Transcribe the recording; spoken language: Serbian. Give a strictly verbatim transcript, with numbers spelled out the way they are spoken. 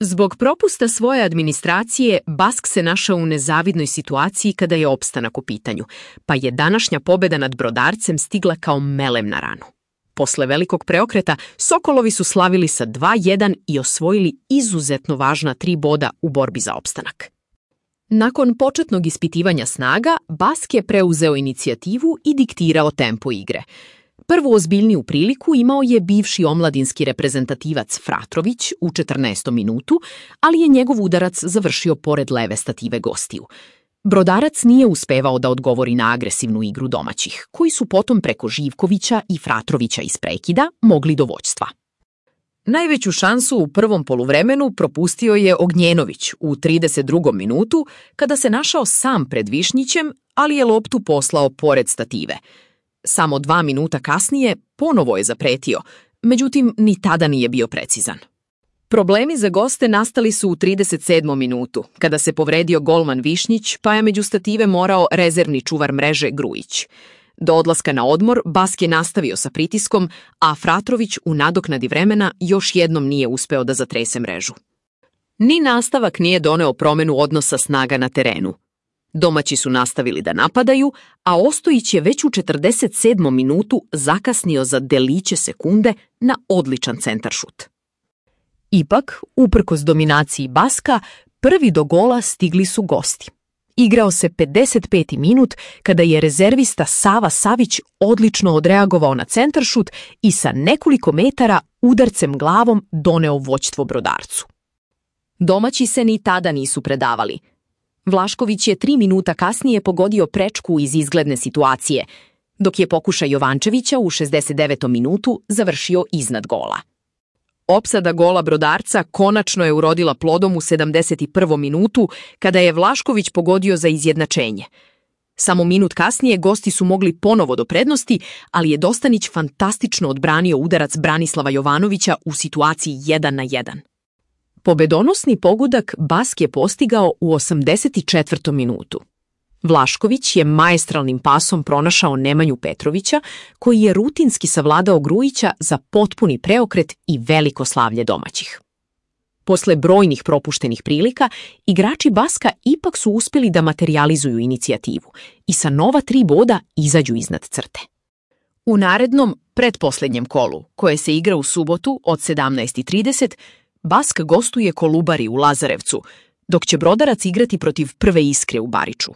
Zbog propusta svoje administracije, Bask se našao u nezavidnoj situaciji kada je opstanak u pitanju, pa je današnja pobjeda nad Brodarcem stigla kao melem na ranu. Posle velikog preokreta, Sokolovi su slavili sa dva jedan i osvojili izuzetno važna tri boda u borbi za opstanak. Nakon početnog ispitivanja snaga, Bask je preuzeo inicijativu i diktirao tempo igre. Prvu ozbiljniju priliku imao je bivši omladinski reprezentativac Fratrović u četrnaestom minutu, ali je njegov udarac završio pored leve stative gostiju. Brodarac nije uspevao da odgovori na agresivnu igru domaćih, koji su potom preko Živkovića i Fratrovića iz prekida mogli do vođstva. Najveću šansu u prvom poluvremenu propustio je Ognjenović u trideset drugom minutu, kada se našao sam pred Višnjićem, ali je loptu poslao pored stative. Samo dva minuta kasnije ponovo je zapretio, međutim ni tada nije bio precizan. Problemi za goste nastali su u trideset sedmom minutu, kada se povredio golman Višnjić, pa je među stative morao rezervni čuvar mreže Grujić. Do odlaska na odmor Bask je nastavio sa pritiskom, a Fratrović u nadoknadi vremena još jednom nije uspeo da zatrese mrežu. Ni nastavak nije doneo promenu odnosa snaga na terenu. Domaći su nastavili da napadaju, a Ostojić je već u četrdeset sedmom minutu zakasnio za deliće sekunde na odličan centaršut. Ipak, uprkos dominaciji Baska, prvi do gola stigli su gosti. Igrao se pedeset peti minut kada je rezervista Sava Savić odlično odreagovao na centaršut i sa nekoliko metara udarcem glavom doneo vođstvo Brodarcu. Domaći se ni tada nisu predavali. Vlašković je tri minuta kasnije pogodio prečku iz izgledne situacije, dok je pokušaj Jovančevića u šezdeset devetom minutu završio iznad gola. Opsada gola Brodarca konačno je urodila plodom u sedamdeset prvom minutu, kada je Vlašković pogodio za izjednačenje. Samo minut kasnije gosti su mogli ponovo do prednosti, ali je Dostanić fantastično odbranio udarac Branislava Jovanovića u situaciji jedan na jedan. Pobedonosni pogodak Bask je postigao u osamdeset četvrtom minutu. Vlašković je maestralnim pasom pronašao Nemanju Petrovića, koji je rutinski savladao Grujića za potpuni preokret i veliko slavlje domaćih. Posle brojnih propuštenih prilika, igrači Baska ipak su uspjeli da materijalizuju inicijativu i sa nova tri boda izađu iznad crte. U narednom, pretposlednjem kolu, koje se igra u subotu od sedamnaest i trideset, Bask gostuje Kolubari u Lazarevcu, dok će Brodarac igrati protiv Prve Iskre u Bariču.